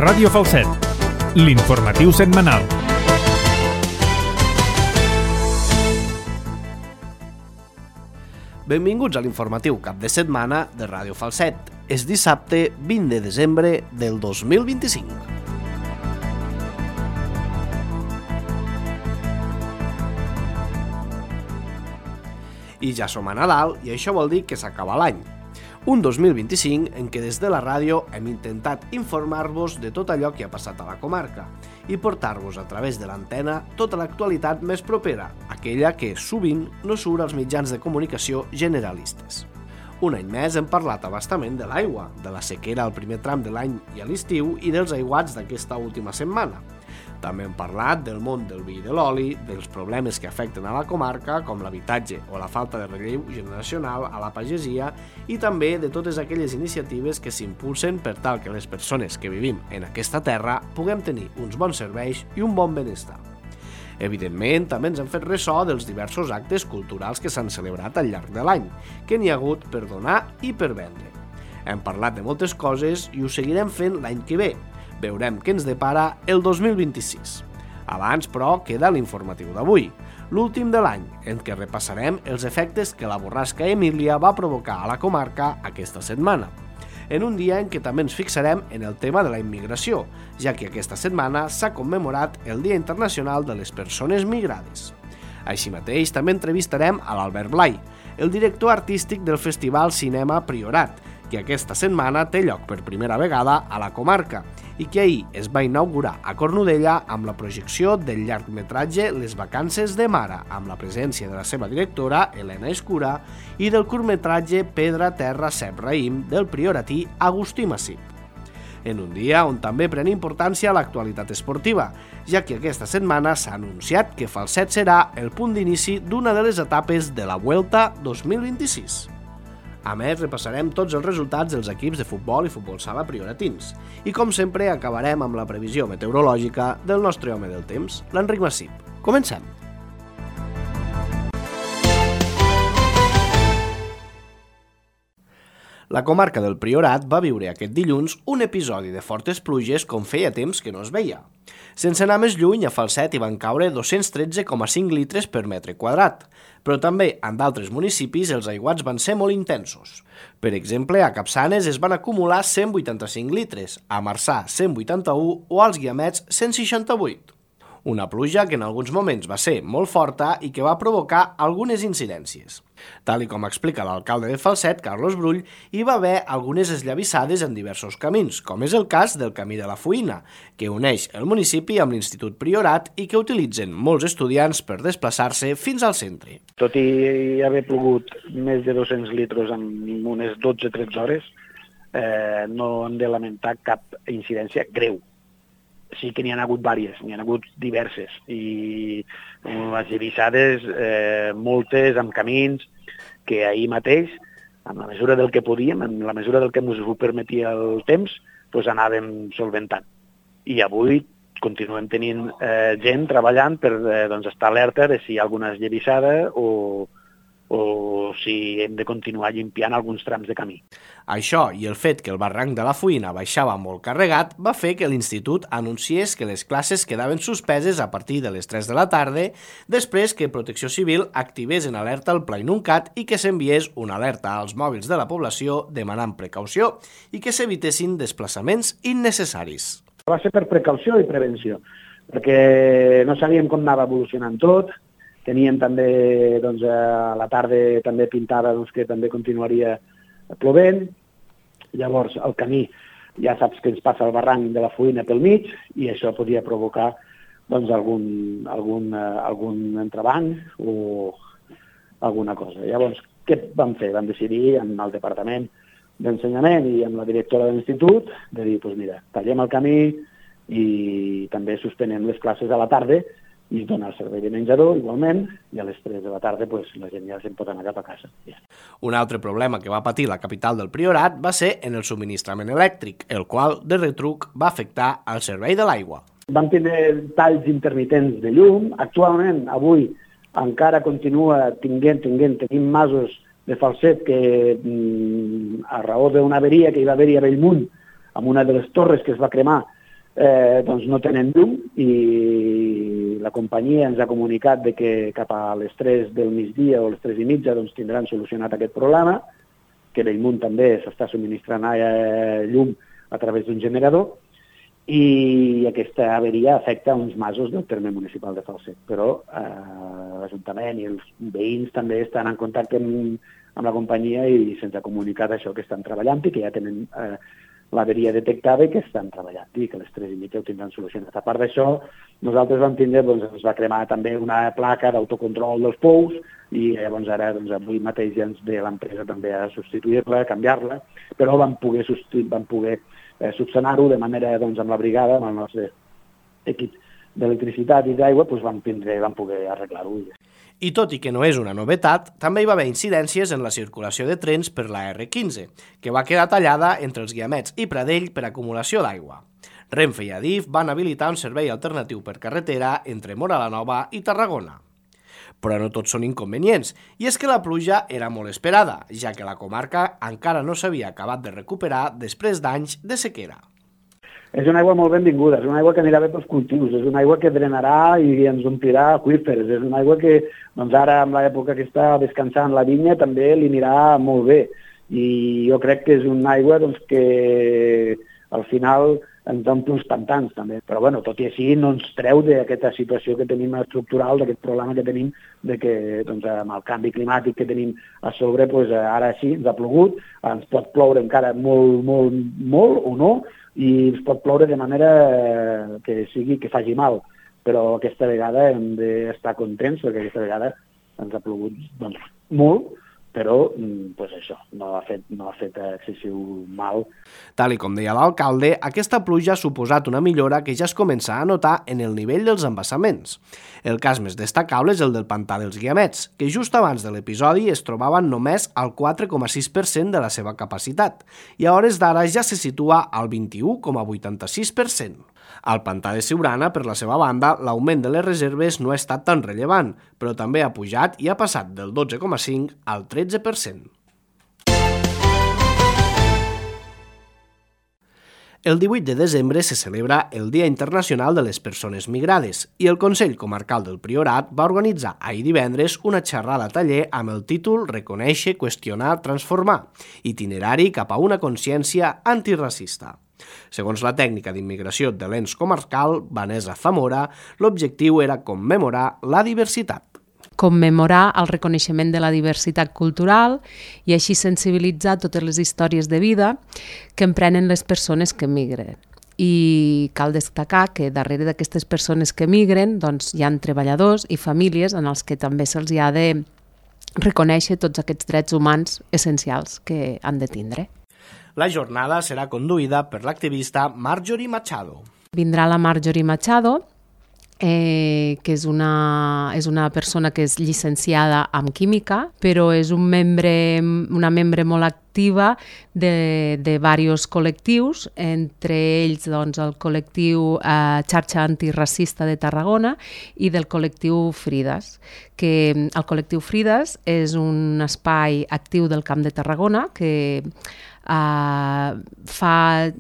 Ràdio Falset, l'informatiu setmanal. Benvinguts a l'informatiu cap de setmana de Ràdio Falset. És dissabte 20 de desembre del 2025. I ja som a Nadal i això vol dir que s'acaba l'any. Un 2025 en què des de la ràdio hem intentat informar-vos de tot allò que ha passat a la comarca i portar-vos a través de l'antena tota l'actualitat més propera, aquella que sovint no surt als mitjans de comunicació generalistes. Un any més hem parlat a bastament de l'aigua, de la sequera al primer tram de l'any i a l'estiu i dels aiguats d'aquesta última setmana. També hem parlat del món del vi i de l'oli, dels problemes que afecten a la comarca, com l'habitatge o la falta de relleu generacional a la pagesia, i també de totes aquelles iniciatives que s'impulsen per tal que les persones que vivim en aquesta terra puguem tenir uns bons serveis i un bon benestar. Evidentment, també ens hem fet ressò dels diversos actes culturals que s'han celebrat al llarg de l'any, que n'hi ha hagut per donar i per vendre. Hem parlat de moltes coses i ho seguirem fent l'any que ve. Veurem què ens depara el 2026. Abans, però, queda l'informatiu d'avui, l'últim de l'any, en què repassarem els efectes que la borrasca Emília va provocar a la comarca aquesta setmana. En un dia en què també ens fixarem en el tema de la immigració, ja que aquesta setmana s'ha commemorat el Dia Internacional de les Persones Migrades. Així mateix, també entrevistarem a l'Albert Blai, el director artístic del Festival Cinema Priorat, que aquesta setmana té lloc per primera vegada a la comarca i que ahir es va inaugurar a Cornudella amb la projecció del llargmetratge Les vacances de Mara, amb la presència de la seva directora, Helena Escura, i del curtmetratge Pedra, Terra, Cep, Raïm, del prioratí Agustí Massip. En un dia on també pren importància l'actualitat esportiva, ja que aquesta setmana s'ha anunciat que Falset serà el punt d'inici d'una de les etapes de la Vuelta 2026. A més, repassarem tots els resultats dels equips de futbol i futbol sala prioratins. I com sempre, acabarem amb la previsió meteorològica del nostre home del temps, l'Enric Massip. Comencem! La comarca del Priorat va viure aquest dilluns un episodi de fortes pluges com feia temps que no es veia. Sense anar més lluny, a Falset hi van caure 213,5 litres per metre quadrat, però també en d'altres municipis els aiguats van ser molt intensos. Per exemple, a Capçanes es van acumular 185 litres, a Marçà 181 o als Guiamets 168. Una pluja que en alguns moments va ser molt forta i que va provocar algunes incidències. Tal com explica l'alcalde de Falset, Carlos Brull, hi va haver algunes esllavissades en diversos camins, com és el cas del Camí de la Fuïna, que uneix el municipi amb l'Institut Priorat i que utilitzen molts estudiants per desplaçar-se fins al centre. Tot i haver plogut més de 200 litres en unes 12-13 hores, no hem de lamentar cap incidència greu. Sí que n'hi ha hagut diverses, n'hi ha hagut diverses, i les llavissades, moltes, amb camins, que ahir mateix, amb la mesura del que podíem, amb la mesura del que ens ho permetia el temps, doncs anàvem solventant. I avui continuem tenint gent treballant per estar alerta de si hi ha alguna llavissada o si hem de continuar limpiant alguns trams de camí. Això i el fet que el barranc de la Fuïna baixava molt carregat va fer que l'Institut anunciés que les classes quedaven suspeses a partir de les 3 de la tarda després que Protecció Civil activés en alerta el Pla Inuncat i que s'enviés una alerta als mòbils de la població demanant precaució i que s'evitessin desplaçaments innecessaris. Va ser per precaució i prevenció, perquè no sabíem com anava evolucionant tot. Teníem també, a la tarda també pintava que també continuaria plovent. Llavors, el camí, ja saps que ens passa el barranc de la Fuïna pel mig i això podia provocar algun entrebanc o alguna cosa. Llavors, què vam fer? Vam decidir amb el Departament d'Ensenyament i amb la directora de l'Institut de dir, mira, tallem el camí i també suspenem les classes a la tarda i es dona el servei de menjador, igualment, i a les 3 de la tarda la gent ja se'n pot anar cap a casa. Un altre problema que va patir la capital del Priorat va ser en el subministrament elèctric, el qual, de retruc, va afectar el servei de l'aigua. Vam tenir talls intermitents de llum. Actualment, avui, encara continua tenim masos de Falset que, a raó d'una averia que hi va haver-hi a Bellmunt, amb una de les torres que es va cremar, doncs no tenen llum i la companyia ens ha comunicat de que cap a les 3 del migdia o les 3:30 doncs tindran solucionat aquest problema, que Bellmunt també s'està subministrant llum a través d'un generador, i aquesta averia afecta uns masos del terme municipal de Falset. Però l'Ajuntament i els veïns també estan en contacte amb la companyia i se'ns ha comunicat això, que estan treballant i que ja tenen l'averia detectada i que estan treballant i que a les 3:30 ho tindran solucionat. A part d'això, nosaltres vam tindre, doncs, ens va cremar també una placa d'autocontrol dels pous i llavors ara, doncs, avui mateix ja ens ve l'empresa també a substituir-la, a canviar-la, però vam poder subsanar-ho de manera, doncs, amb la brigada, amb el nostre equip d'electricitat i d'aigua, doncs vam poder arreglar-ho. I tot i que no és una novetat, també hi va haver incidències en la circulació de trens per la R15, que va quedar tallada entre els Guiamets i Pradell per acumulació d'aigua. Renfe i Adif van habilitar un servei alternatiu per carretera entre Móra la Nova i Tarragona. Però no tots són inconvenients, i és que la pluja era molt esperada, ja que la comarca encara no s'havia acabat de recuperar després d'anys de sequera. És una aigua molt benvinguda, és una aigua que anirà bé pels cultius, és una aigua que drenarà i ens omplirà aqüífers, és una aigua que, doncs ara, en l'època que està descansant la vinya, també li anirà molt bé. I jo crec que és una aigua, doncs, que al final ens omple uns pantans, també. Però, bueno, tot i així, no ens treu d'aquesta situació que tenim estructural, d'aquest problema que tenim, de que, doncs, amb el canvi climàtic que tenim a sobre, doncs, ara sí, ens ha plogut, ens pot ploure encara molt o no, i ens pot ploure de manera que faci mal, però aquesta vegada hem d'estar contents perquè aquesta vegada ens ha plogut, doncs, molt, però doncs això, no ha fet excessiu mal. Tal com deia l'alcalde, aquesta pluja ha suposat una millora que ja es comença a notar en el nivell dels embassaments. El cas més destacable és el del pantà dels Guiamets, que just abans de l'episodi es trobaven només al 4,6% de la seva capacitat, i a hores d'ara ja se situa al 21,86%. Al pantà de Siurana, per la seva banda, l'augment de les reserves no ha estat tan rellevant, però també ha pujat i ha passat del 12,5% al 13%. El 18 de desembre se celebra el Dia Internacional de les Persones Migrades i el Consell Comarcal del Priorat va organitzar ahir divendres una xerrada taller amb el títol Reconèixer, qüestionar, transformar, itinerari cap a una consciència antiracista. Segons la tècnica d'immigració de l'ens comarcal, Vanessa Zamora, l'objectiu era commemorar la diversitat. Commemorar el reconeixement de la diversitat cultural i així sensibilitzar totes les històries de vida que emprenen les persones que migren. I cal destacar que darrere d'aquestes persones que migren doncs, hi ha treballadors i famílies en els que també se'ls ha de reconèixer tots aquests drets humans essencials que han de tindre. La jornada serà conduïda per l'activista Marjorie Machado. Vindrà la Marjorie Machado, que és una persona que és llicenciada en química, però és una membre molt activa de diversos col·lectius, entre ells doncs, el col·lectiu Xarxa Antiracista de Tarragona i del col·lectiu Frides, que el col·lectiu Frides és un espai actiu del Camp de Tarragona que fa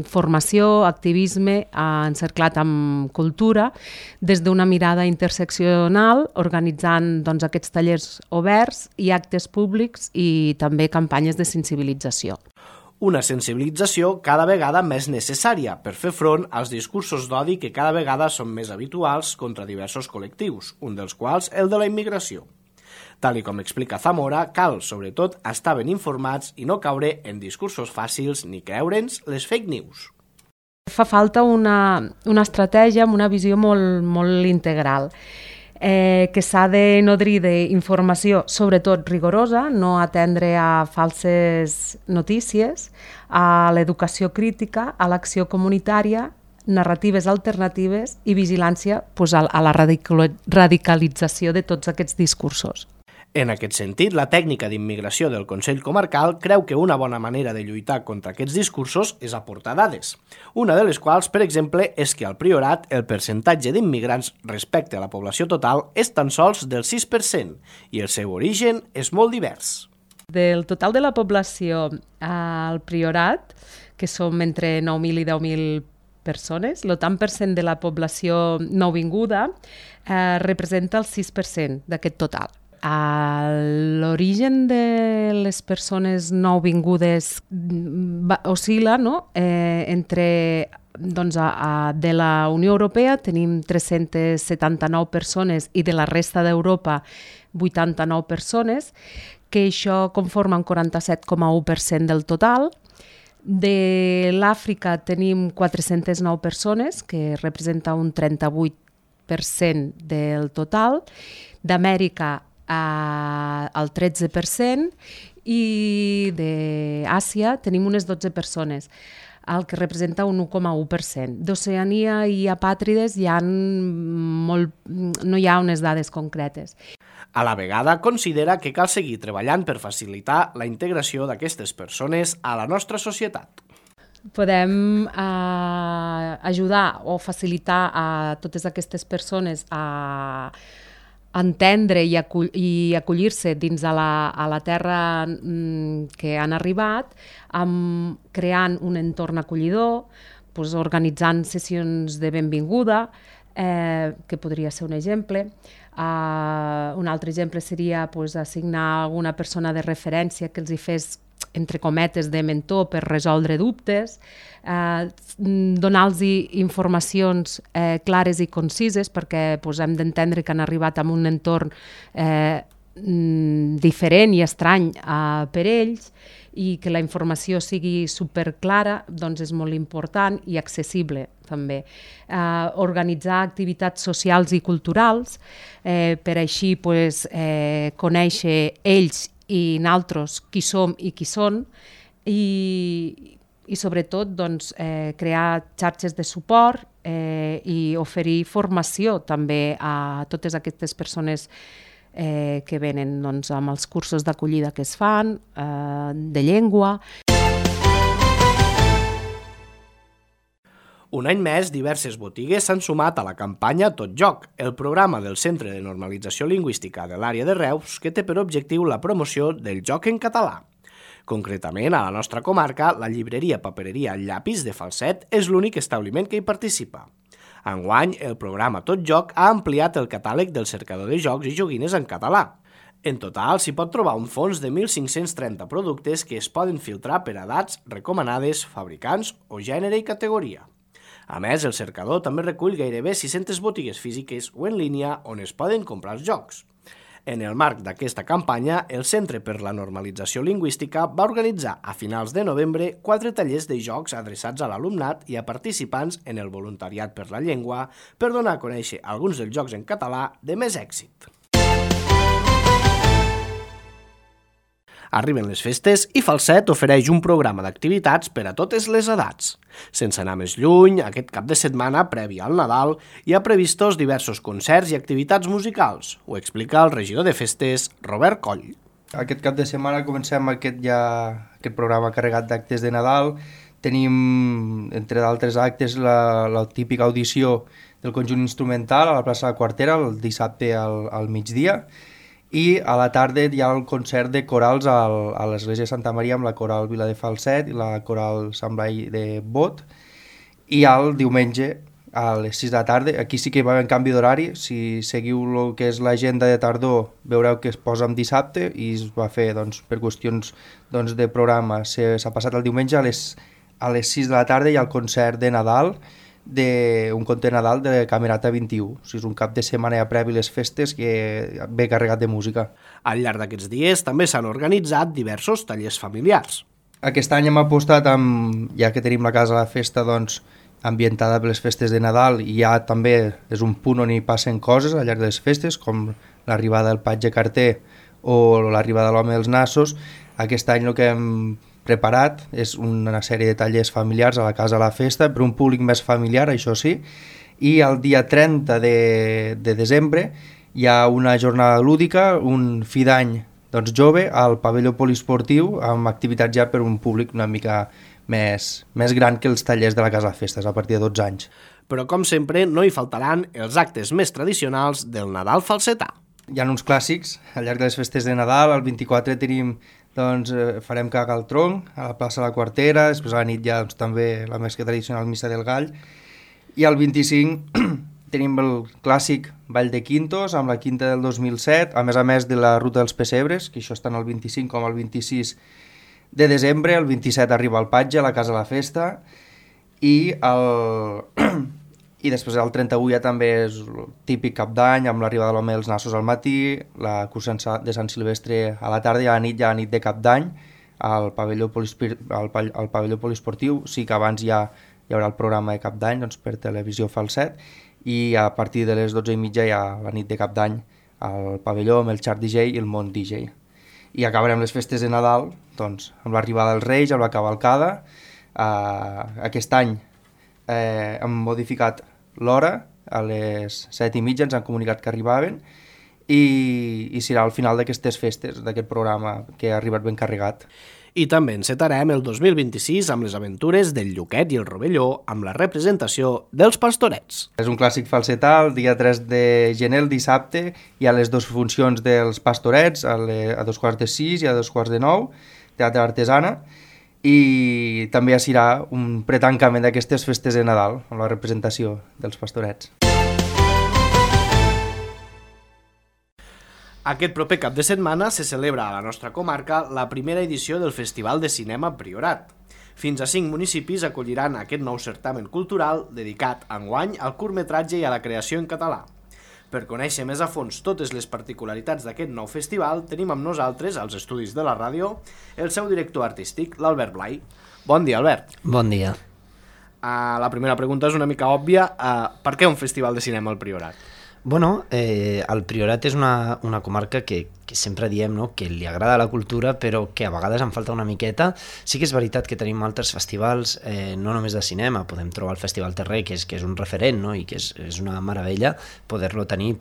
formació, activisme encerclat amb cultura des d'una mirada interseccional, organitzant doncs, aquests tallers oberts i actes públics i també campanyes de sensibilització. Una sensibilització cada vegada més necessària per fer front als discursos d'odi que cada vegada són més habituals contra diversos col·lectius, un dels quals el de la immigració. Tal com explica Zamora, cal, sobretot, estar ben informats i no caure en discursos fàcils ni creure'ns les fake news. Fa falta una estratègia amb una visió molt integral, que s'ha de nodrir d'informació, sobretot rigorosa, no atendre a falses notícies, a l'educació crítica, a l'acció comunitària, narratives alternatives i vigilància a la radicalització de tots aquests discursos. En aquest sentit, la tècnica d'immigració del Consell Comarcal creu que una bona manera de lluitar contra aquests discursos és aportar dades. Una de les quals, per exemple, és que al Priorat el percentatge d'immigrants respecte a la població total és tan sols del 6% i el seu origen és molt divers. Del total de la població al Priorat, que som entre 9.000 i 10.000 persones, el tant per cent de la població nouvinguda representa el 6% d'aquest total. L'origen de les persones nouvingudes oscil·la, no? Entre de la Unió Europea tenim 379 persones i de la resta d'Europa 89 persones, que això conforma un 47,1% del total. De l'Àfrica tenim 409 persones, que representa un 38% del total. D'Amèrica el 13% i d'Àsia tenim unes 12 persones, el que representa un 1,1%. D'Oceania i apàtrides no hi ha unes dades concretes. A la vegada, considera que cal seguir treballant per facilitar la integració d'aquestes persones a la nostra societat. Podem ajudar o facilitar a totes aquestes persones a entendre i acollir-se dins a la terra que han arribat, creant un entorn acollidor, organitzant sessions de benvinguda, que podria ser un exemple. Un altre exemple seria assignar alguna persona de referència que els hi fes, entre cometes, de mentor per resoldre dubtes, donar-los informacions clares i concises perquè hem d'entendre que han arribat a un entorn diferent i estrany per ells, i que la informació sigui superclara és molt important i accessible també. Organitzar activitats socials i culturals per així conèixer ells i nosaltres qui som i qui són, i sobretot crear xarxes de suport i oferir formació també a totes aquestes persones que venen amb els cursos d'acollida que es fan, de llengua. Un any més, diverses botigues s'han sumat a la campanya Tot Joc, el programa del Centre de Normalització Lingüística de l'àrea de Reus, que té per objectiu la promoció del joc en català. Concretament, a la nostra comarca, la llibreria papereria Llapis de Falset és l'únic establiment que hi participa. Enguany, el programa Tot Joc ha ampliat el catàleg del cercador de jocs i joguines en català. En total, s'hi pot trobar un fons de 1.530 productes que es poden filtrar per edats recomanades, fabricants o gènere i categoria. A més, el cercador també recull gairebé 600 botigues físiques o en línia on es poden comprar els jocs. En el marc d'aquesta campanya, el Centre per la Normalització Lingüística va organitzar a finals de novembre 4 tallers de jocs adreçats a l'alumnat i a participants en el voluntariat per la llengua per donar a conèixer alguns dels jocs en català de més èxit. Arriben les festes i Falset ofereix un programa d'activitats per a totes les edats. Sense anar més lluny, aquest cap de setmana, previ al Nadal, hi ha previstos diversos concerts i activitats musicals. Ho explica el regidor de festes, Robert Coll. Aquest cap de setmana comencem aquest programa carregat d'actes de Nadal. Tenim, entre d'altres actes, la típica audició del conjunt instrumental a la plaça de la Quartera, el dissabte al migdia, i a la tarda hi ha el concert de corals a l'església de Santa Maria amb la coral Vila de Falset i la coral Sant Blai de Bot, i el diumenge a les 6 de la tarda, aquí sí que hi va haver un canvi d'horari. Si seguiu el que és l'agenda de tardor veureu que es posa en dissabte i es va fer per qüestions de programa, s'ha passat el diumenge a les 6 de la tarda i el concert de Nadal, un conte de Nadal de Camerata 21. O sigui, és un cap de setmana ja previ les festes que ve carregat de música. Al llarg d'aquests dies també s'han organitzat diversos tallers familiars. Aquest any hem apostat, ja que tenim la casa a la festa ambientada per les festes de Nadal, i ja també és un punt on hi passen coses al llarg de les festes, com l'arribada del patge carter o l'arribada de l'home dels nassos. Aquest any el que hem preparat és una sèrie de tallers familiars a la casa a la festa, per un públic més familiar, això sí, i el dia 30 de desembre hi ha una jornada lúdica, un fi d'any jove al pavelló poliesportiu, amb activitats ja per un públic una mica més gran que els tallers de la casa de festes, a partir de 12 anys. Però, com sempre, no hi faltaran els actes més tradicionals del Nadal falsetà. Hi ha uns clàssics al llarg de les festes de Nadal. El 24 tenim doncs farem Caga al Tronc a la plaça de la Quartera, després a la nit ja doncs, també la més que tradicional Missa del Gall, i el 25 tenim el clàssic Ball de Quintos amb la quinta del 2007, a més de la Ruta dels Pessebres, que això està en el 25 com el 26 de desembre, el 27 arriba al Patge, a la Casa de la Festa, i després el 31 ja també és el típic cap d'any, amb l'arribada de l'home dels nassos al matí, la cursa de Sant Silvestre a la tarda i a la nit ja a nit de cap d'any al pavelló poliesportiu. Sí que abans ja hi haurà el programa de cap d'any, doncs per televisió Falset, i a partir de les 12:30 hi ha la nit de cap d'any al pavelló amb el Chart DJ i el Mont DJ. I acabarem les festes de Nadal doncs, amb l'arribada dels Reis, amb la cavalcada. Aquest any hem modificat l'hora, a les 7:30 ens han comunicat que arribaven i serà al final d'aquestes festes, d'aquest programa que ha arribat ben carregat. I també encetarem el 2026 amb les aventures del Lluquet i el Rovelló amb la representació dels Pastorets. És un clàssic falsetà, el dia 3 de gener, el dissabte, hi ha les dues funcions dels Pastorets, a 6:15 i a 9:15, teatre artesana, i també serà un pretancament d'aquestes festes de Nadal, amb la representació dels Pastorets. Aquest proper cap de setmana se celebra a la nostra comarca la primera edició del Festival de Cinema Priorat. Fins a 5 municipis acolliran aquest nou certamen cultural dedicat enguany al curtmetratge i a la creació en català. Per conèixer més a fons totes les particularitats d'aquest nou festival, tenim amb nosaltres, als estudis de la ràdio, el seu director artístic, l'Albert Blai. Bon dia, Albert. Bon dia. La primera pregunta és una mica òbvia. Per què un festival de cinema al Priorat? Bueno, el Priorat és una comarca que sempre diem, no?, que li agrada la cultura, però que a vegades en falta una miqueta. Sí que és veritat que tenim altres festivals, no només de cinema, podem trobar el Festival Terrer, que és un referent, no?, i que és una meravella poder-lo tenir,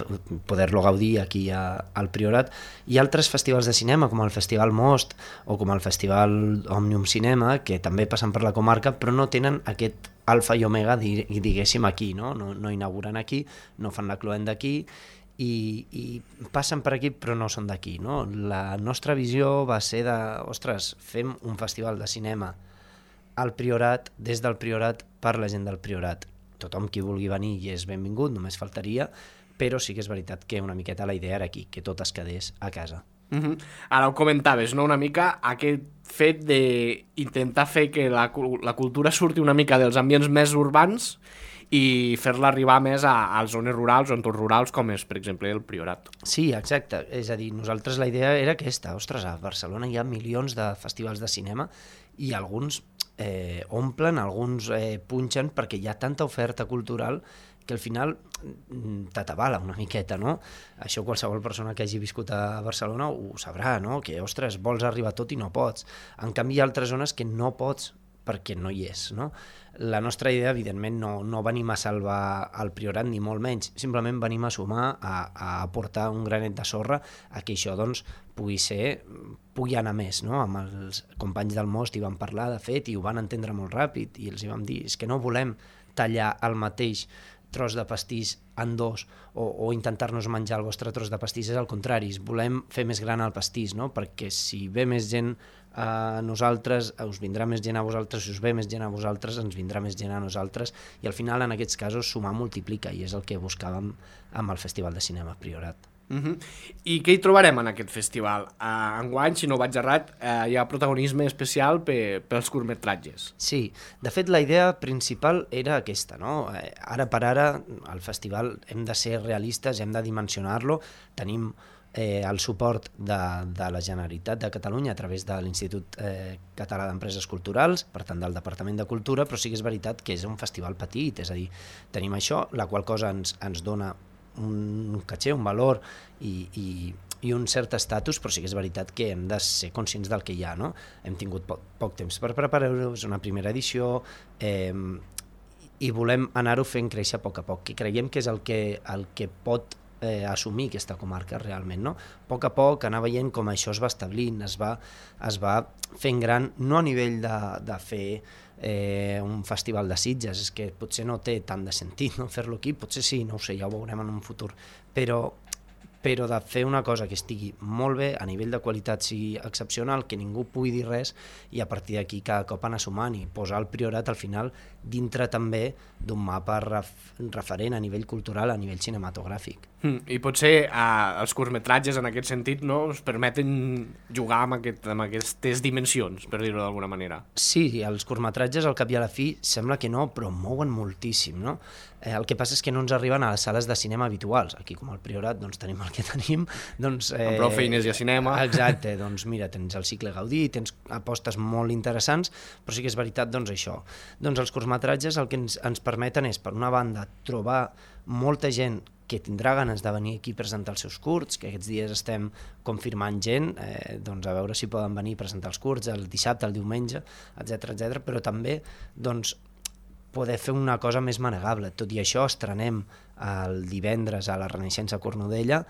poder-lo gaudir aquí al Priorat. Hi ha altres festivals de cinema, com el Festival Most o com el Festival Òmnium Cinema, que també passen per la comarca, però no tenen aquest alfa i omega, diguéssim, aquí, no inauguren aquí, no fan la cloenda aquí, i passen per aquí però no són d'aquí, no? La nostra visió va ser fem un festival de cinema al Priorat, des del Priorat, per la gent del Priorat. Tothom qui vulgui venir hi és benvingut, només faltaria, però sí que és veritat que una miqueta la idea era aquí, que tot es quedés a casa. Ara ho comentaves, no?, una mica aquest fet d'intentar fer que la cultura surti una mica dels ambients més urbans i fer-la arribar més a zones rurals o entorns rurals, com és, per exemple, el Priorat. Sí, exacte. És a dir, nosaltres la idea era aquesta. Ostres, a Barcelona hi ha milions de festivals de cinema i alguns omplen, alguns punxen, perquè hi ha tanta oferta cultural que al final t'atabala una miqueta, no? Això qualsevol persona que hagi viscut a Barcelona ho sabrà, no? Que, ostres, vols arribar a tot i no pots. En canvi, hi ha altres zones que no pots perquè no hi és, no? La nostra idea, evidentment, no venim a salvar el Priorat, ni molt menys, simplement venim a sumar, a aportar un granet de sorra a que això, doncs, pugui anar més, no? Amb els companys del Most hi van parlar, de fet, i ho van entendre molt ràpid, i els hi vam dir, és que no volem tallar el mateix tros de pastís en dos o intentar-nos menjar el vostre tros de pastís, és al contrari, volem fer més gran el pastís, no? Perquè si ve més gent a nosaltres, us vindrà més gent a vosaltres, si us ve més gent a vosaltres, ens vindrà més gent a nosaltres, i al final en aquests casos sumar multiplica, i és el que buscàvem amb el Festival de Cinema Priorat. I què hi trobarem en aquest festival? Enguany, si no vaig errat, hi ha protagonisme especial pels curtmetratges. Sí, de fet la idea principal era aquesta, no? Ara per ara, al festival hem de ser realistes, hem de dimensionar-lo, tenim el suport de la Generalitat de Catalunya a través de l'Institut Català d'Empreses Culturals, per tant del Departament de Cultura, però sí que és veritat que és un festival petit, és a dir, tenim això, la qual cosa ens dona un caché, un valor i un cert estatus, però sí que és veritat que hem de ser conscients del que hi ha, no? Hem tingut poc temps per preparar-ho, és una primera edició, i volem anar-ho fent créixer a poc, que creiem que és el que pot assumir aquesta comarca realment, no? A poc anar veient com això es va establint, es va fent gran, no a nivell de fer un festival de Sitges, és que potser no té tant de sentit, no, fer-lo aquí, potser sí, no ho sé, ja ho veurem en un futur, però però de fer una cosa que estigui molt bé, a nivell de qualitat sigui excepcional, que ningú pugui dir res, i a partir d'aquí cada cop anar sumant i posar el Priorat al final dintre també d'un mapa referent a nivell cultural, a nivell cinematogràfic. I potser els curtmetratges en aquest sentit no ens permeten jugar amb aquestes dimensions, per dir-ho d'alguna manera. Sí, els curtmetratges al cap i a la fi sembla que no, però mouen moltíssim, no? El que passa és que no ens arriben a les sales de cinema habituals. Aquí, com al Priorat, doncs tenim el que tenim. Doncs, amb prou feines i a cinema. Exacte, doncs mira, tens el cicle Gaudí, tens apostes molt interessants, però sí que és veritat, doncs això. Doncs els curtmetratges el que ens permeten és, per una banda, trobar molta gent que tindrà ganes de venir aquí a presentar els seus curts, que aquests dies estem confirmant gent, doncs a veure si poden venir a presentar els curts el dissabte, el diumenge, etc, però també doncs, poder fer una cosa més manegable. Tot i això, estrenem el divendres a la Renaixença Cornudella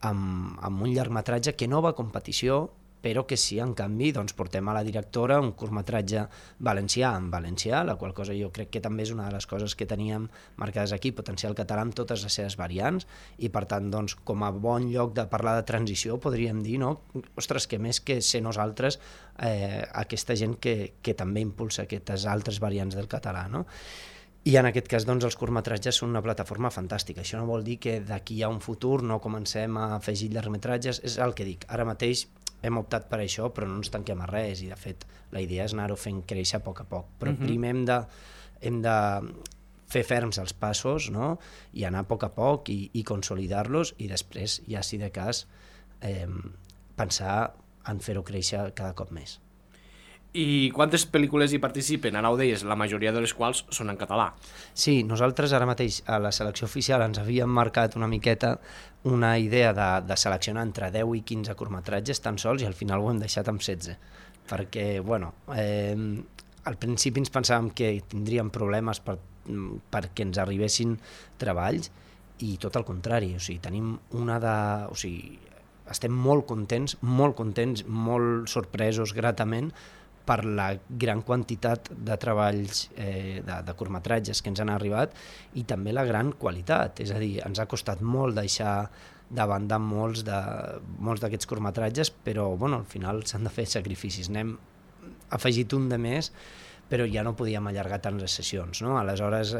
amb un llargmetratge que no va a competició, però que sí, en canvi, doncs, portem a la directora un curtmetratge valencià en valencià, la qual cosa jo crec que també és una de les coses que teníem marcades aquí, potenciar el català amb totes les seves variants, i per tant, doncs, com a bon lloc de parlar de transició, podríem dir, no? Ostres, que més que ser nosaltres, aquesta gent que també impulsa aquestes altres variants del català, no? I en aquest cas, doncs, els curtmetratges són una plataforma fantàstica. Això no vol dir que d'aquí a un futur no comencem a afegir llargmetratges, és el que dic. Ara mateix hem optat per això, però no ens tanquem a res, i de fet la idea és anar-ho fent créixer a poc a poc. Però primer hem de fer ferms els passos, no? I anar a poc i consolidar-los, i després, ja si de cas, pensar en fer-ho créixer cada cop més. I quantes pel·lícules hi participen? Ara ho deies, la majoria de les quals són en català. Sí, nosaltres ara mateix a la selecció oficial ens havíem marcat una miqueta una idea de seleccionar entre 10 i 15 curtmetratges tan sols, i al final ho hem deixat amb 16. Perquè, bueno, al principi ens pensàvem que tindríem problemes perquè ens arribessin treballs, i tot el contrari, o sigui, tenim estem molt contents, molt sorpresos gratament per la gran quantitat de treballs de curtmetratges que ens han arribat, i també la gran qualitat. És a dir, ens ha costat molt deixar de banda molts d'aquests curtmetratges, però bueno, al final s'han de fer sacrificis. N'hem afegit un de més, però ja no podíem allargar tant les sessions, no? Aleshores,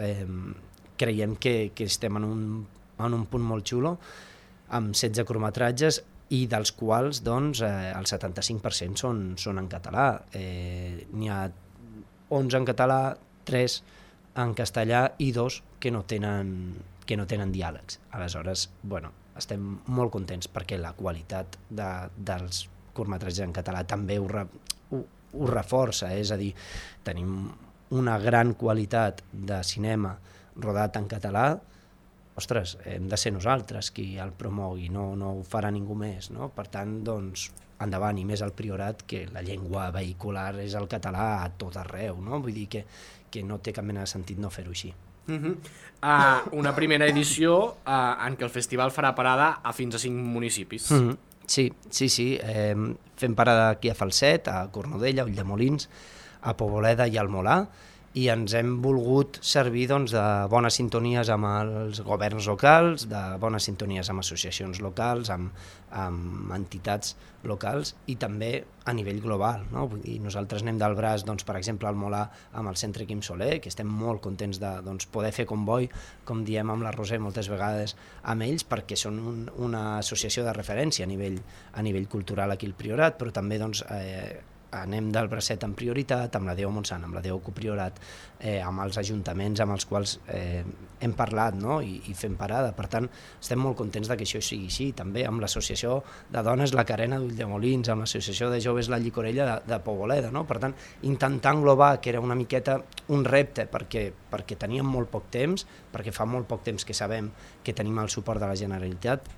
creiem que estem en un punt molt xulo, amb 16 curtmetratges, i dels quals doncs, el 75% són en català. N'hi ha 11 en català, 3 en castellà i 2 que no tenen diàlegs. Aleshores, bueno, estem molt contents perquè la qualitat dels curtmetratges en català també ho reforça, és a dir, tenim una gran qualitat de cinema rodat en català. Ostres, hem de ser nosaltres qui el promogui, no ho farà ningú més, no? Per tant, doncs, endavant, i més al Priorat, que la llengua vehicular és el català a tot arreu, no? Vull dir que no té cap mena de sentit no fer-ho així. Una primera edició en què el festival farà parada a fins a 5 municipis. Sí. Fem parada aquí a Falset, a Cornudella, a Ulldemolins, a Poboleda i al Molar, i ens hem volgut servir doncs, de bones sintonies amb els governs locals, de bones sintonies amb associacions locals, amb entitats locals, i també a nivell global, no? Vull dir, nosaltres anem del braç, doncs, per exemple, al Molar amb el Centre Quim Soler, que estem molt contents de poder fer comboi, com diem amb la Roser moltes vegades, amb ells, perquè són una associació de referència a nivell cultural aquí al Priorat, però també doncs, anem del bracet en prioritat, amb la Déu Montsant, amb la Déu Copriorat, amb els ajuntaments amb els quals hem parlat, no? I fem parada. Per tant, estem molt contents que això sigui així. També amb l'associació de dones La Carena d'Ulldemolins, amb l'associació de joves La Llicorella de Poboleda, no? Per tant, intentar englobar, que era una miqueta un repte, perquè teníem molt poc temps, perquè fa molt poc temps que sabem que tenim el suport de la Generalitat,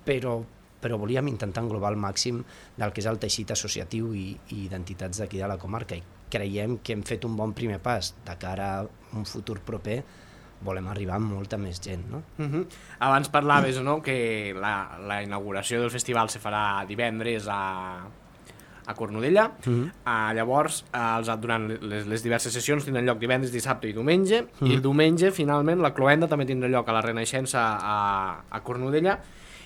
però volíem intentar englobar al màxim del que és el teixit associatiu i d'entitats d'aquí de la comarca, i creiem que hem fet un bon primer pas. De cara a un futur proper volem arribar amb molta més gent, no? Abans parlaves, no?, que la inauguració del festival se farà divendres a Cornudella. Llavors, durant les diverses sessions tindran lloc divendres, dissabte i diumenge, i el diumenge, finalment, la cloenda també tindrà lloc a la Renaixença a Cornudella.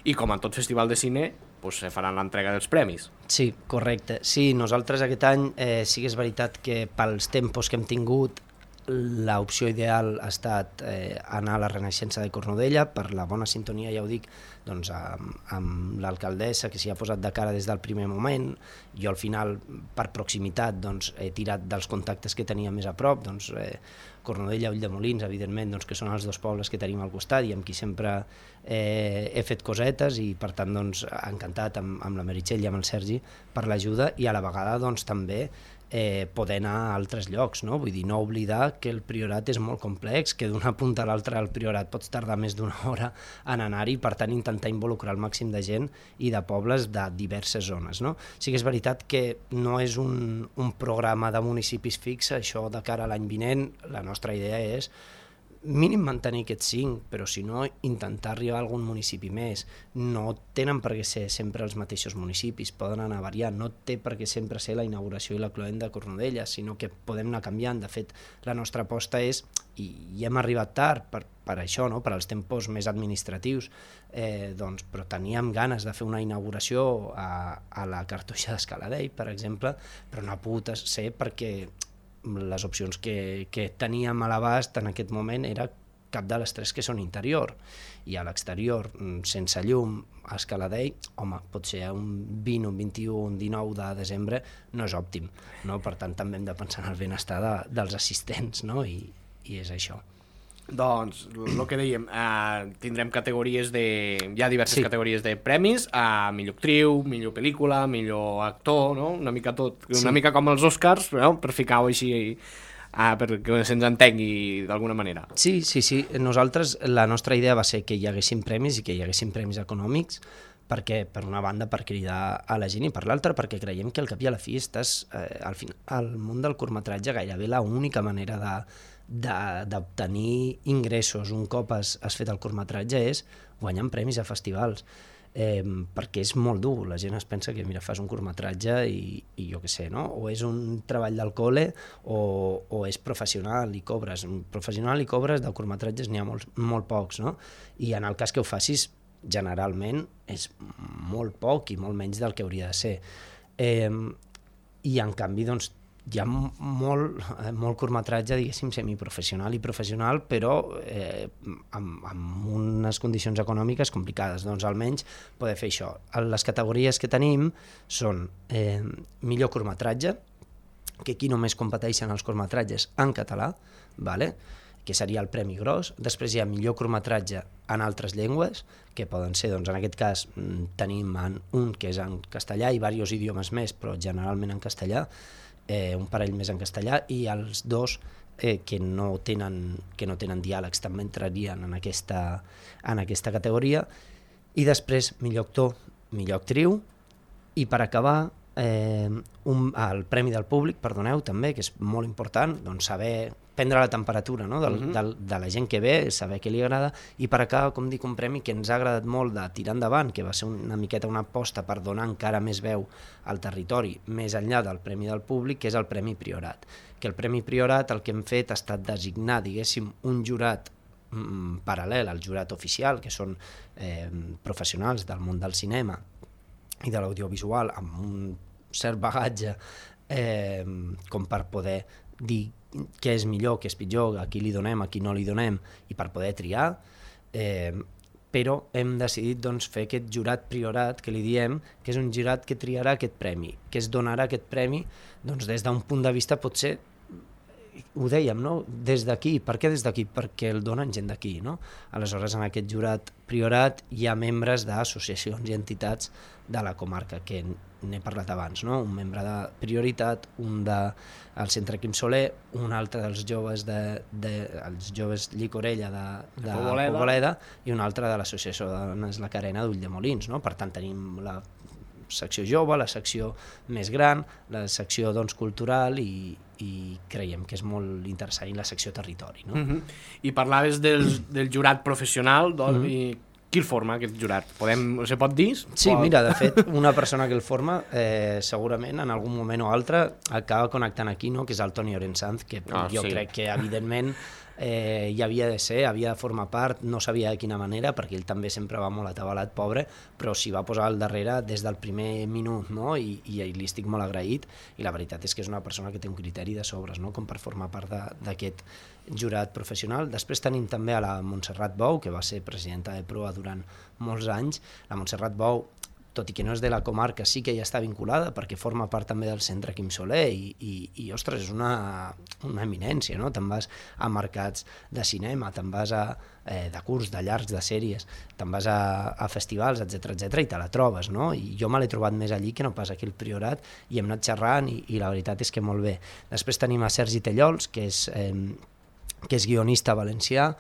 I com en tot festival de cine, pues, se faran l'entrega dels premis. Sí, correcte. Sí, nosaltres aquest any sí que és veritat que pels tempos que hem tingut l'opció ideal ha estat anar a la Renaixença de Cornudella per la bona sintonia, ja ho dic, doncs, amb l'alcaldessa que s'hi ha posat de cara des del primer moment. Jo al final, per proximitat, doncs, he tirat dels contactes que tenia més a prop, doncs, Cornudella, Ulldemolins, evidentment, doncs, que són els dos pobles que tenim al costat i amb qui sempre he fet cosetes, i per tant doncs, encantat amb la Meritxell i amb el Sergi per l'ajuda, i a la vegada doncs, també poder anar a altres llocs, no? Vull dir, no oblidar que el Priorat és molt complex, que d'una punta a l'altra al Priorat pots tardar més d'una hora en anar-hi, per tant intentar involucrar el màxim de gent i de pobles de diverses zones, no? Sí que és veritat que no és un programa de municipis fix, això de cara a l'any vinent. La nostra idea és mínim mantenir aquests 5, però si no, intentar arribar a algun municipi més. No tenen per què ser sempre els mateixos municipis, poden anar variant, no té per què sempre ser la inauguració i la cloenda de Cornudella, sinó que podem anar canviant. De fet, la nostra aposta és, i hem arribat tard per això, no? Per als tempos més administratius, doncs, però teníem ganes de fer una inauguració a la Cartoixa d'Escaladei, per exemple, però no ha pogut ser perquè les opcions que teníem a l'abast en aquest moment era cap de les 3 que són interior, i a l'exterior sense llum a Escaladei, home, pot ser un 20, un 21, un 19 de desembre no és òptim, no? Per tant també hem de pensar en el benestar dels assistents, no? I és això. Doncs, el que dèiem, tindrem categories hi ha diverses categories de premis, millor actriu, millor pel·lícula, millor actor, no? Una mica tot, una mica com els Oscars, no? Per ficar-ho així, perquè se'ns entengui d'alguna manera. Sí. Nosaltres, la nostra idea va ser que hi haguessin premis i que hi haguessin premis econòmics, perquè, per una banda, per cridar a la gent, i per l'altra perquè creiem que al cap i a la fi estàs al món del curtmetratge gairebé l'única manera d'obtenir ingressos un cop has fet el curtmetratge és guanyant premis a festivals, perquè és molt dur. La gent es pensa que mira, fas un curtmetratge i jo què sé, no? O és un treball del col·le o és professional i cobres. Professional i cobres de curtmetratges n'hi ha molt pocs, no? I en el cas que ho facis, generalment és molt poc i molt menys del que hauria de ser. I en canvi, doncs, hi ha molt curtmetratge, diguéssim, semiprofessional i professional, però amb unes condicions econòmiques complicades. Doncs almenys poder fer això. Les categories que tenim són millor curtmetratge, que aquí només competeixen els curtmetratges en català, que seria el premi gros. Després hi ha millor curtmetratge en altres llengües, que poden ser, doncs, en aquest cas tenim un que és en castellà i diversos idiomes més, però generalment en castellà, un parell més en castellà, i els dos que no tenen diàlegs també entrarien en aquesta categoria. I després millor actor, millor actriu, i per acabar el Premi del Públic, perdoneu, també, que és molt important, doncs saber prendre la temperatura, no? de la gent que ve, saber què li agrada, i per acabar, com dic, un premi que ens ha agradat molt de tirar endavant, que va ser una miqueta una aposta per donar encara més veu al territori, més enllà del Premi del Públic, que és el Premi Priorat. Que el Premi Priorat el que hem fet ha estat designar, diguéssim, un jurat paral·lel al jurat oficial, que són professionals del món del cinema i de l'audiovisual, amb un cert bagatge com per poder dir què és millor, què és pitjor, a qui li donem, a qui no li donem, i per poder triar, però hem decidit doncs, fer aquest jurat priorat, que li diem, que és un jurat que triarà aquest premi, que es donarà aquest premi doncs, des d'un punt de vista potser, ho dèiem, no? Des d'aquí. Per què des d'aquí? Perquè el donen gent d'aquí, no? Aleshores, en aquest jurat priorat hi ha membres d'associacions i entitats de la comarca, que n'he parlat abans, no? Un membre de Prioritat, un del Centre Quim Soler, un altre dels joves els joves Llicorella de Poboleda, i un altre de l'Associació de Dones La Carena d'Ulldemolins, no? Per tant, tenim la secció jove, la secció més gran, la secció doncs, cultural i creiem que és molt interessant, i la secció territori. No? I parlaves del jurat professional, doncs, i qui el forma, aquest jurat? Se pot dir? Sí, mira, de fet, una persona que el forma segurament en algun moment o altre acaba connectant aquí, no? Que és el Toni Orensanz, que jo crec que evidentment hi havia de ser, havia de formar part, no sabia de quina manera, perquè ell també sempre va molt atabalat, pobre, però s'hi va posar al darrere des del primer minut, no? I li estic molt agraït, i la veritat és que és una persona que té un criteri de sobres, no? Com per formar part d'aquest jurat professional. Després tenim també a la Montserrat Bou, que va ser presidenta de Proa durant molts anys. La Montserrat Bou, tot i que no és de la comarca, sí que ja està vinculada perquè forma part també del centre Quim Soler i ostres, és una eminència, no? Te'n vas a mercats de cinema, te'n vas de curs, de llargs, de sèries, te'n vas a festivals, etc i te la trobes, no? I jo me l'he trobat més allí que no pas aquí al Priorat, i hem anat xerrant i la veritat és que molt bé. Després tenim a Sergi Tellols, que és guionista valencià,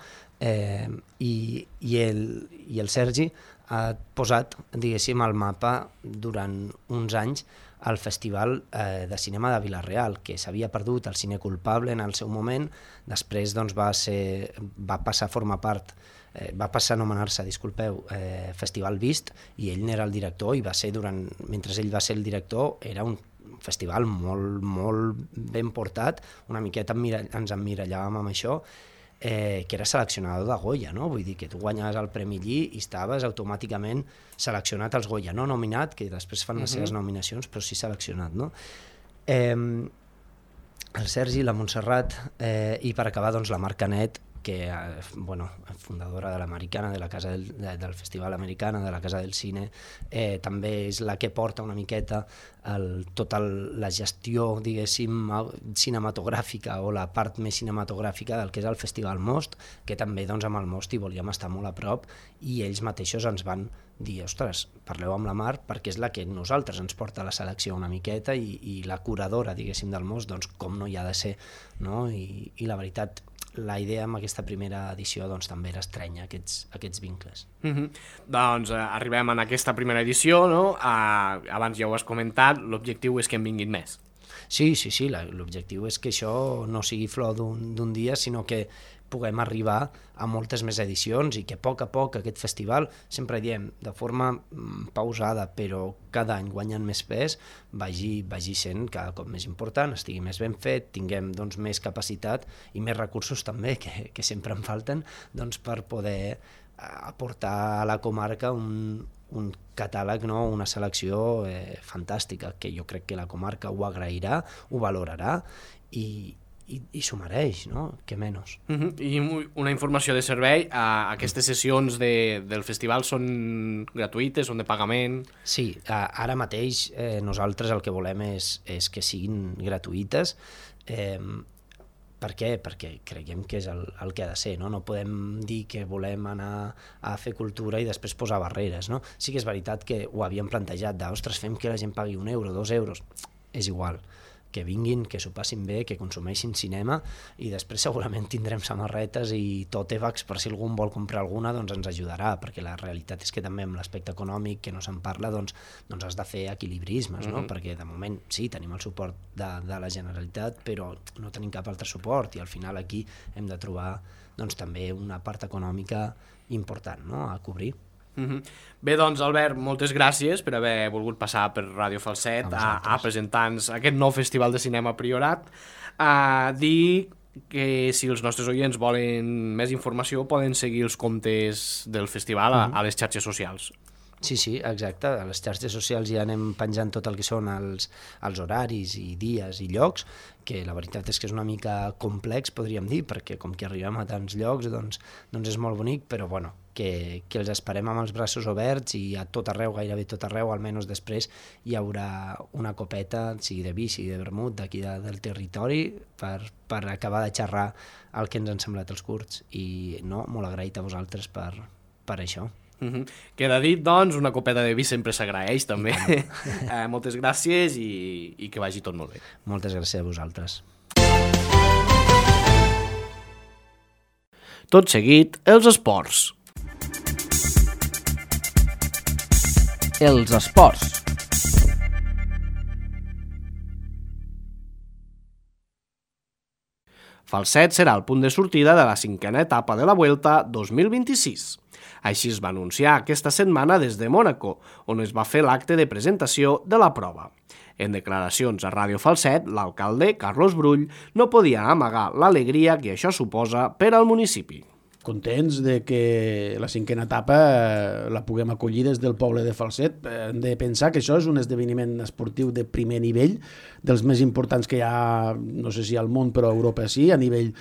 i el Sergi ha posat, diguéssim, al mapa durant uns anys el Festival de Cinema de Vila-real, que s'havia perdut al Cine Culpable en el seu moment, després doncs, va passar a formar part, va passar a anomenar-se, Festival Vist, i ell n'era el director, i va ser mentre ell va ser el director, era un festival molt, molt ben portat, una miqueta ens emmirallàvem amb això, que era seleccionador de Goya, no? Vull dir que tu guanyaves el Premi Lli i estaves automàticament seleccionat als Goya, no nominat, que després fan les seves nominacions, però sí seleccionat, no? El Sergi, la Montserrat, i per acabar doncs la Mar Canet, que fundadora de l'Americana, de la Casa del Festival Americana, de la Casa del Cine, també és la que porta una miqueta tota la gestió, diguéssim, cinematogràfica o la part més cinematogràfica del que és el Festival Most, que també doncs, amb el Most hi volíem estar molt a prop, i ells mateixos ens van dir, ostres, parleu amb la Mar perquè és la que nosaltres ens porta a la selecció una miqueta i la curadora, diguéssim, del Most, doncs com no hi ha de ser, no? I la veritat, la idea amb aquesta primera edició doncs, també era estrènyer aquests vincles. Doncs arribem en aquesta primera edició, no? Abans ja ho has comentat, l'objectiu és que en vinguin més. Sí, l'objectiu és que això no sigui flor d'un dia, sinó que puguem arribar a moltes més edicions i que a poc aquest festival, sempre diem de forma pausada, però cada any guanyant més pes, vagi sent cada cop més important, estigui més ben fet, tinguem doncs, més capacitat i més recursos també, que sempre en falten, doncs, per poder aportar a la comarca un catàleg, no? Una selecció fantàstica, que jo crec que la comarca ho agrairà, ho valorarà i s'ho mereix, no? Que menys. I una informació de servei, aquestes sessions del festival són gratuïtes, són de pagament? Sí, ara mateix nosaltres el que volem és que siguin gratuïtes. Per què? Perquè creiem que és el que ha de ser, no? No podem dir que volem anar a fer cultura i després posar barreres, no? Sí que és veritat que ho havíem plantejat ostres, fem que la gent pagui 1 euro, 2 euros, és igual, que vinguin, que s'ho passin bé, que consumeixin cinema, i després segurament tindrem samarretes i tòtebags per si algú vol comprar alguna, doncs ens ajudarà, perquè la realitat és que també amb l'aspecte econòmic que no se'n parla, doncs has de fer equilibrismes, no? Perquè de moment sí, tenim el suport de la Generalitat, però no tenim cap altre suport, i al final aquí hem de trobar doncs també una part econòmica important, no? A cobrir. Bé, doncs Albert, moltes gràcies per haver volgut passar per Ràdio Falset a presentar-nos aquest nou Festival de Cinema Priorat. Dir que si els nostres oients volen més informació poden seguir els comptes del festival a les xarxes socials. Sí, exacte. A les xarxes socials ja anem penjant tot el que són els horaris i dies i llocs, que la veritat és que és una mica complex, podríem dir, perquè com que arribem a tants llocs, doncs és molt bonic, però bueno, que els esperem amb els braços oberts i a tot arreu, gairebé tot arreu, almenys després hi haurà una copeta, sigui de vi, sigui de vermut, d'aquí del territori, per acabar de xerrar el que ens han semblat els curts. I no, molt agraït a vosaltres per això. Queda dit, doncs, una copeta de vi sempre s'agraeix, també. Moltes gràcies i que vagi tot molt bé. Moltes gràcies a vosaltres. Tot seguit, els esports. Els esports. Falset serà el punt de sortida de la 5a etapa de la Vuelta 2026. Així es va anunciar aquesta setmana des de Mònaco, on es va fer l'acte de presentació de la prova. En declaracions a Ràdio Falset, l'alcalde, Carlos Brull, no podia amagar l'alegria que això suposa per al municipi. Contents de que la 5a etapa la puguem acollir des del poble de Falset. Hem de pensar que això és un esdeveniment esportiu de primer nivell, dels més importants que hi ha, no sé si al món, però a Europa sí, a nivell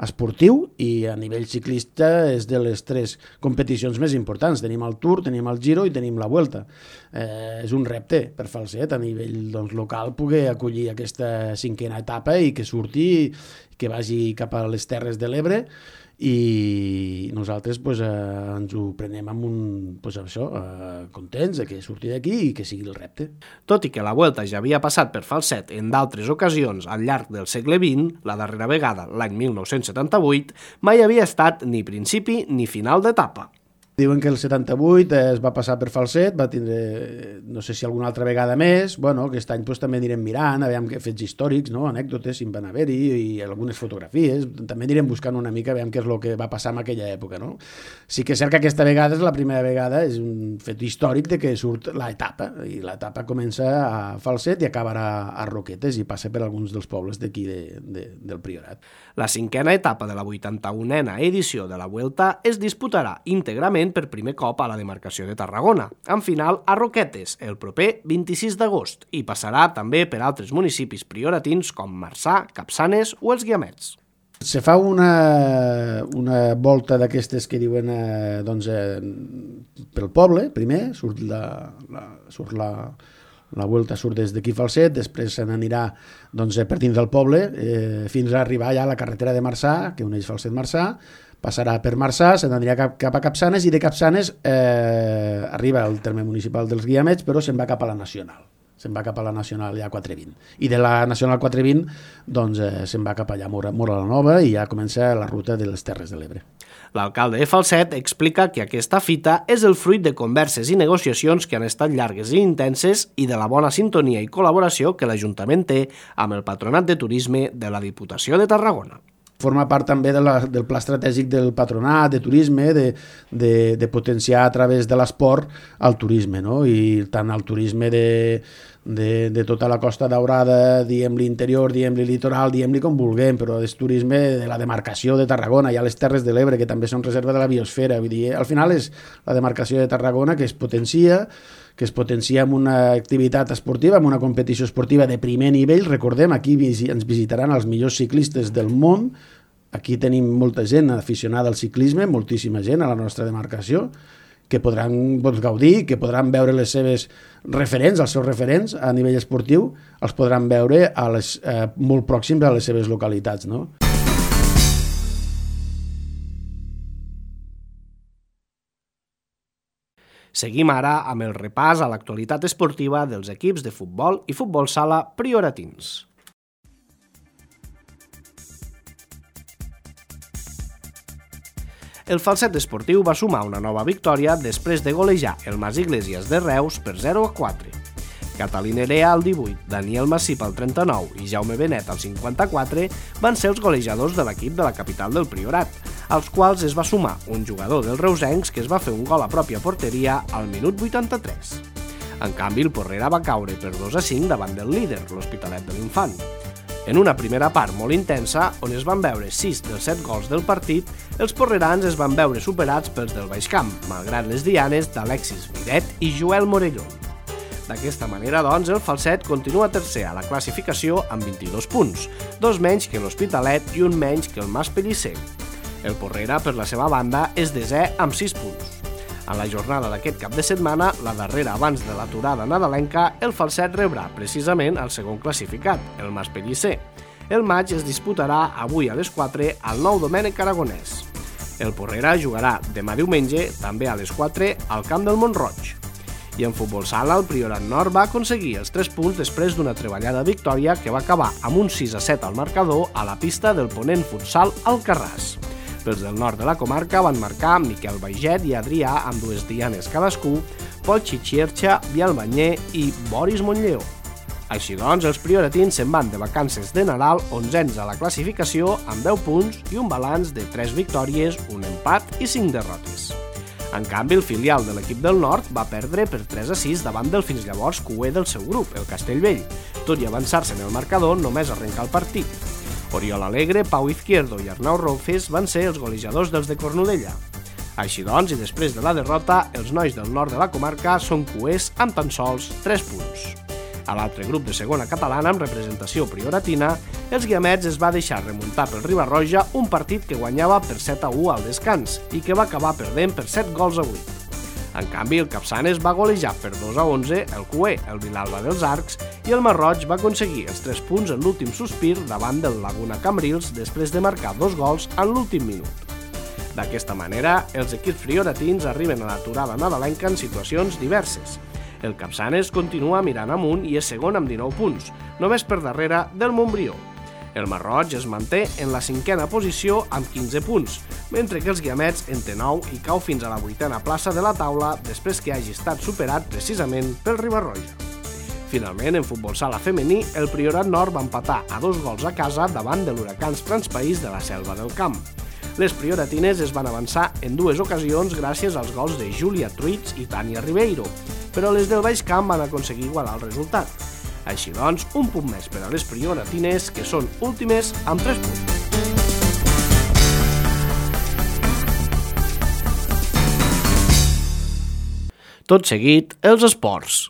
esportiu, i a nivell ciclista és de les 3 competicions més importants. Tenim el Tour, tenim el Giro i tenim la Vuelta. És un repte per Falset a nivell local poder acollir aquesta 5a etapa i que surti, que vagi cap a les Terres de l'Ebre, i nosaltres ens ho prenem amb contents de que surti d'aquí i que sigui el repte. Tot i que la Vuelta ja havia passat per Falset en d'altres ocasions al llarg del segle XX, la darrera vegada, l'any 1978, mai havia estat ni principi ni final d'etapa. Diuen que el 78 es va passar per Falset, va tindre, no sé si alguna altra vegada més, aquest any també anirem mirant, aviam que fets històrics, anècdotes, si en van haver-hi, i algunes fotografies, també anirem buscant una mica, aviam què és el que va passar en aquella època. Sí que és cert que aquesta vegada és la primera vegada, és un fet històric de que surt l'etapa, i l'etapa comença a Falset i acabarà a Roquetes i passa per alguns dels pobles d'aquí del Priorat. La 5a etapa de la 81a edició de la Vuelta es disputarà íntegrament per primer cop a la demarcació de Tarragona, amb final a Roquetes el proper 26 d'agost, i passarà també per altres municipis prioratins com Marçà, Capçanes o els Guiamets. Se fa una volta d'aquestes que diuen pel poble, primer, surt la Vuelta surt des d'aquí Falset, després se n'anirà per dins del poble fins a arribar ja a la carretera de Marçà, que uneix Falset-Marçà, passarà per Marçà, se n'anirà cap a Capçanes i de Capçanes arriba al terme municipal dels Guiamets, però se'n va cap a la Nacional. Se'n va cap a la Nacional ja 420. I de la Nacional 420 se'n va cap allà a Móra la Nova i ja comença la ruta de les Terres de l'Ebre. L'alcalde de Falset explica que aquesta fita és el fruit de converses i negociacions que han estat llargues i intenses i de la bona sintonia i col·laboració que l'Ajuntament té amb el Patronat de Turisme de la Diputació de Tarragona. Forma part també del pla estratègic del Patronat de Turisme de potenciar a través de l'esport el turisme, i tant el turisme de tota la Costa Daurada, diguem-li interior, diguem-li litoral, diguem-li com vulguem, però és turisme de la demarcació de Tarragona, hi ha les Terres de l'Ebre, que també són reserva de la biosfera, vull dir, al final és la demarcació de Tarragona que es potencia amb una activitat esportiva, amb una competició esportiva de primer nivell. Recordem, aquí ens visitaran els millors ciclistes del món, aquí tenim molta gent aficionada al ciclisme, moltíssima gent a la nostra demarcació, que podran gaudir, que podran veure les seves referents, els seus referents a nivell esportiu, els podran veure molt pròxims a les seves localitats, Seguim ara amb el repàs a l'actualitat esportiva dels equips de futbol i futbol sala prioratins. El Falset Esportiu va sumar una nova victòria després de golejar el Mas Iglesias de Reus per 0-4. Catalí Nerea al 18, Daniel Massip al 39 i Jaume Benet al 54 van ser els golejadors de l'equip de la capital del Priorat, als quals es va sumar un jugador dels reusencs que es va fer un gol a pròpia porteria al minut 83. En canvi, el Porrera va caure per 2-5 davant del líder, l'Hospitalet de l'Infant. En una primera part molt intensa, on es van veure 6 dels 7 gols del partit, els porrerans es van veure superats pels del Baixcamp, malgrat les dianes d'Alexis Miret i Joel Morelló. D'aquesta manera, doncs, el Falset continua tercer a la classificació amb 22 punts, 2 menys que l'Hospitalet i un menys que el Mas Pellicer. El Porrera, per la seva banda, és desè amb 6 punts. En la jornada d'aquest cap de setmana, la darrera abans de l'aturada nadalenca, el Falset rebrà precisament el segon classificat, el Mas Pellicer. El maig es disputarà avui a les 4 al Nou Domènec Aragonès. El Porrera jugarà demà diumenge, també a les 4, al camp del Mont-roig. I en futbol sala, el Priorat Nord va aconseguir els 3 punts després d'una treballada victòria que va acabar amb un 6-7 al marcador a la pista del Ponent Futsal Alcarràs. Pels del nord de la comarca van marcar Miquel Baiget i Adrià amb 2 dianes cadascú, Pol Xixierxa, Biel Banyer i Boris Montlleó. Així doncs, els prioratins se'n van de vacances de Nadal 11ens a la classificació amb 10 punts i un balanç de 3 victòries, un empat i 5 derrotes. En canvi, el filial de l'equip del Nord va perdre per 3-6 davant del fins llavors cuer del seu grup, el Castellvell, tot i avançar-se en el marcador només arrencar el partit. Oriol Alegre, Pau Izquierdo i Arnau Roufes van ser els golejadors dels de Cornudella. Així doncs, i després de la derrota, els nois del nord de la comarca són cuers amb tan sols 3 punts. A l'altre grup de segona catalana, amb representació prioratina, els guiamets es va deixar remuntar pel Riba-roja un partit que guanyava per 7-1 al descans i que va acabar perdent per 7-8. En canvi, el Capçanes va golejar per 2-11 el cuer, el Vilalba dels Arcs, i el Marroig va aconseguir els 3 punts en l'últim sospir davant del Laguna Cambrils després de marcar 2 gols en l'últim minut. D'aquesta manera, els equips prioratins arriben a l'aturada nadalenca en situacions diverses. El Capçanes continua mirant amunt i és segon amb 19 punts, només per darrere del Montbrió. El Marroig es manté en la 5a posició amb 15 punts, mentre que els guiamets en té 9 i cau fins a la 8a plaça de la taula després que hagi estat superat precisament pel Riba-roja. Finalment, en futbol sala femení, el Priorat Nord va empatar a 2 gols a casa davant de l'Huracans Transpaís de la Selva del Camp. Les prioratines es van avançar en 2 ocasions gràcies als gols de Júlia Truits i Tània Ribeiro, però les del Baix Camp van aconseguir igualar el resultat. Així doncs, un punt més per a les prioratines, que són últimes amb 3 punts. Tot seguit, els esports.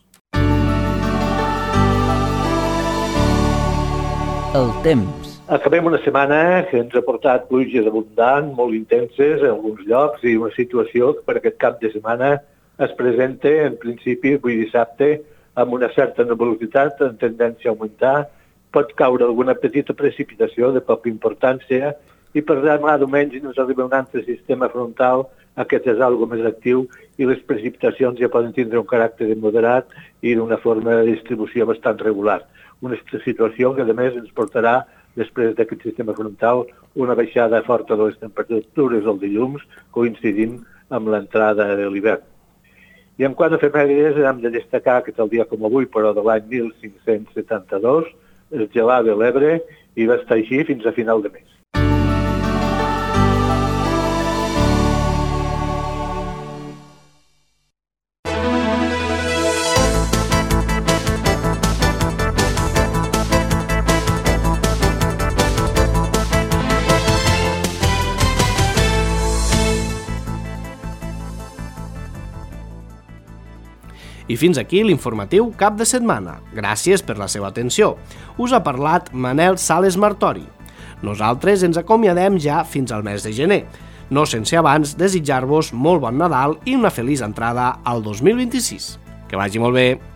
El temps. Acabem una setmana que ens ha portat pluges abundants, molt intenses en alguns llocs i una situació que per aquest cap de setmana es presenta en principi avui dissabte amb una certa nebulositat en tendència a augmentar. Pot caure alguna petita precipitació de poca importància i per demà diumenge ens arriba un altre sistema frontal, aquest és algo més actiu i les precipitacions ja poden tindre un caràcter moderat i d'una forma de distribució bastant regular. Una situació que a més ens portarà després d'aquest sistema frontal una baixada forta de les temperatures del dilluns coincidint amb l'entrada de l'hivern. I en quant a efemèrides, hem de destacar que tal dia com avui, però de l'any 1572, es gelava l'Ebre i va estar així fins a final de mes. I fins aquí l'informatiu cap de setmana. Gràcies per la seva atenció. Us ha parlat Manel Sales Martori. Nosaltres ens acomiadem ja fins al mes de gener, no sense abans desitjar-vos molt bon Nadal i una feliç entrada al 2026. Que vagi molt bé!